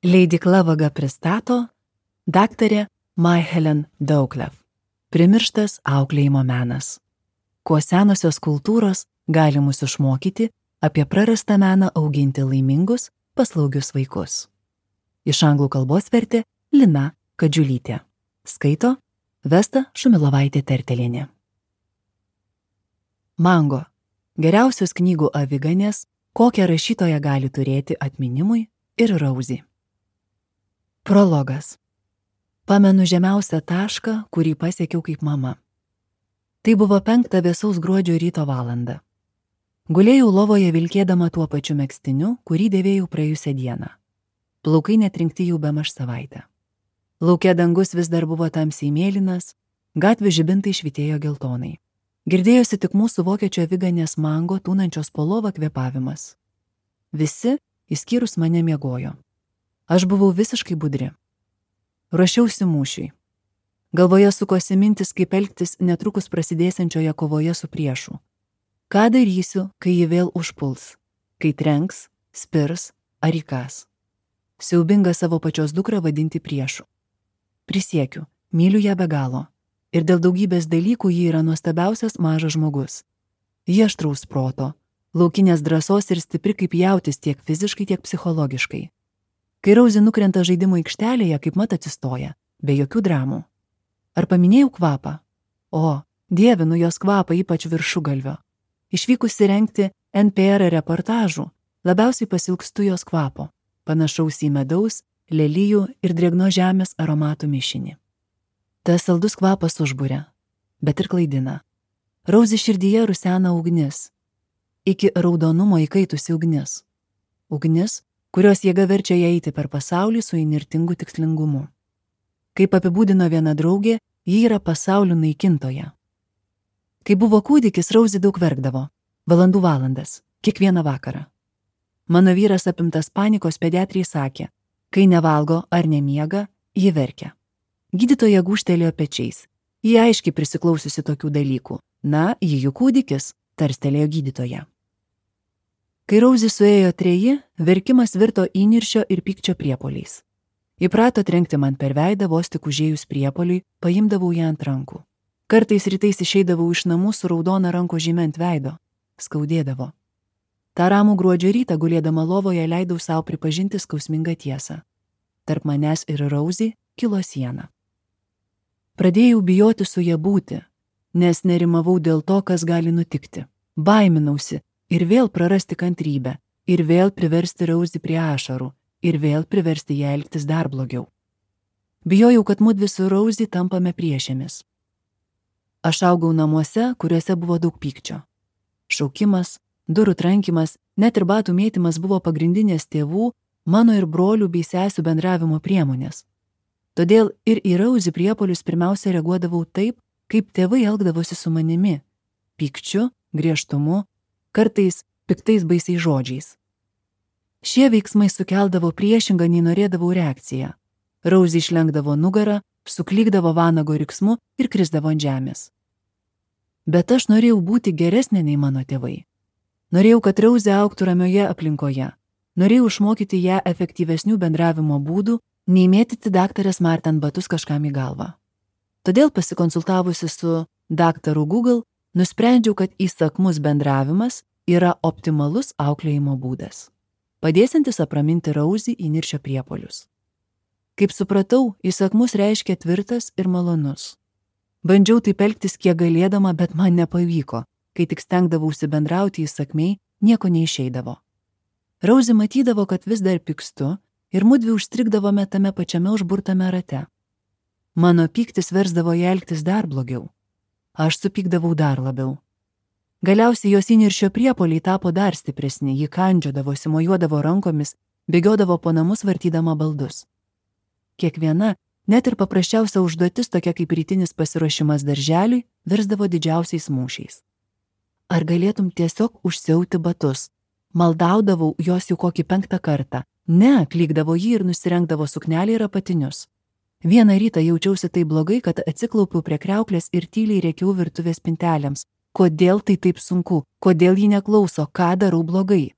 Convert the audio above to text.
Leidykla Vaga pristato daktarė May-Helen Doucleff. Primirštas auklėjimo menas. Kuo senosios kultūros gali mus išmokyti apie prarastą meną auginti laimingus, paslaugius vaikus. Iš anglų kalbos vertė Lina Kadžiulytė. Skaito Vesta Šumilovaitė-Tertelienė. Mango. Geriausios knygų aviganės, kokią rašytoja gali turėti atminimui, ir Rosie. Prologas. Pamenu žemiausią tašką, kurį pasiekiau kaip mama. Tai buvo 5 vėsaus gruodžio ryto valanda. Gulėjau lovoje vilkėdama tuo pačiu megztiniu, kurį dėvėjau praėjusią dieną. Plaukai netrinkti jau bemaž savaitę. Lauke dangus vis dar buvo tamsiai mėlynas, gatvių žibintai švytėjo geltonai. Girdėjosi tik mūsų vokiečio aviganės Mango tūnančios po lovą kvėpavimas. Visi, išskyrus mane, miegojo. Aš buvau visiškai budri. Ruošiausi mūšiui. Galvoje sukosi mintis, kaip elgtis netrukus prasidėsiančioje kovoje su priešu. Ką darysiu, kai ji vėl užpuls, kai trenks, spirs ar įkas. Siaubinga savo pačios dukrą vadinti priešu. Prisiekiu, myliu ją be galo. Ir dėl daugybės dalykų ji yra nuostabiausias mažas žmogus. Ji aštraus proto, laukinės drąsos ir stipri kaip jautis tiek fiziškai, tiek psichologiškai. Kai Rosie nukrenta žaidimo aikštelėje, kaip mat atsistoja, be jokių dramų. Ar paminėjau kvapą? O, dievinu jos kvapą, ypač viršugalvio. Išvykusi rengti NPR reportažų, labiausiai pasilgstu jos kvapo, panašaus į medaus, lelijų ir drėgno žemės aromatų mišinį. Tas saldus kvapas užburia, bet ir klaidina. Rosie širdyje rusena ugnis, iki raudonumo įkaitusi ugnis. Ugnis, kurios jėga verčia ją eiti per pasaulį su įnirtingu tikslingumu. Kaip apibūdino viena draugė, ji yra pasaulio naikintoja. Kai buvo kūdikis, Rosie daug verkdavo, valandų valandas, kiekvieną vakarą. Mano vyras apimtas panikos pediatrijai sakė, kai nevalgo ar nemiega, ji verkia. Gydytoja gūžtelėjo pečiais. Ji aiškiai prisiklausiusi tokių dalykų. Na, ji jų kūdikis, tarstelėjo gydytoja. Kai Rosie suėjo 3, verkimas virto įniršio ir pykčio priepuoliais. Įprato trenkti man per veidą, vos tik užėjus priepuoliui, paimdavau ją ant rankų. Kartais rytais išeidavau iš namų su raudona ranko žyme ant veido. Skaudėdavo. Ta ramų gruodžio rytą gulėdama lovoje leidau savo pripažinti skausmingą tiesą. Tarp manęs ir Rosie kilo siena. Pradėjau bijoti su ja būti, nes nerimavau dėl to, kas gali nutikti. Baiminausi ir vėl prarasti kantrybę, ir vėl priversti Rosie prie ašarų, ir vėl priversti ją elgtis dar blogiau. Bijojau, kad mudvi su Rosie tampame priešėmis. Aš augau namuose, kuriuose buvo daug pykčio. Šaukimas, durų trankimas, net ir batų mėtymas buvo pagrindinės tėvų, mano ir brolių bei sesių bendravimo priemonės. Todėl ir į Rosie priepuolius pirmiausia reaguodavau taip, kaip tėvai elgdavosi su manimi – pykčiu, griežtumu, kartais piktais baisiais žodžiais. Šie veiksmai sukeldavo priešingą, nei norėdavau reakciją. Rosie išlenkdavo nugarą, suklykdavo vanago riksmu ir krisdavo ant žemės. Bet aš norėjau būti geresnė nei mano tėvai. Norėjau, kad Rosie augtų ramioje aplinkoje. Norėjau išmokyti ją efektyvesnių bendravimo būdų, nei mėtyti daktarės Marten batus kažkam į galvą. Todėl pasikonsultavusi su daktaru Google, nusprendžiau, kad įsakmus bendravimas yra optimalus auklėjimo būdas, padėsiantis apraminti Rosie įniršio priepuolius. Kaip supratau, įsakmus reiškia tvirtas ir malonus. Bandžiau taip elgtis kiek galėdama, bet man nepavyko, kai tik stengdavausi bendrauti įsakmiai, nieko neišeidavo. Rosie matydavo, kad vis dar pykstu, ir mudvi užstrigdavome tame pačiame užburtame rate. Mano pyktis versdavo ją elgtis dar blogiau. Aš supykdavau dar labiau. Galiausiai jos įniršio priepuoliai tapo dar stipresni, ji kandžiodavosi, mojuodavo rankomis, bėgiodavo po namus vartydama baldus. Kiekviena, net ir paprasčiausia užduotis, tokia kaip rytinis pasiruošimas darželiui, virsdavo didžiausiais mūšiais. Ar galėtum tiesiog užsiauti batus? Maldaudavau jos jau kokį 5 kartą. Ne, klykdavo jį ir nusirengdavo suknelį ir apatinius. Vieną rytą jaučiausi taip blogai, kad atsiklaupiau prie kriauklės ir tyliai rėkiau virtuvės spintelėms. Kodėl tai taip sunku? Kodėl ji neklauso? Ką darau blogai?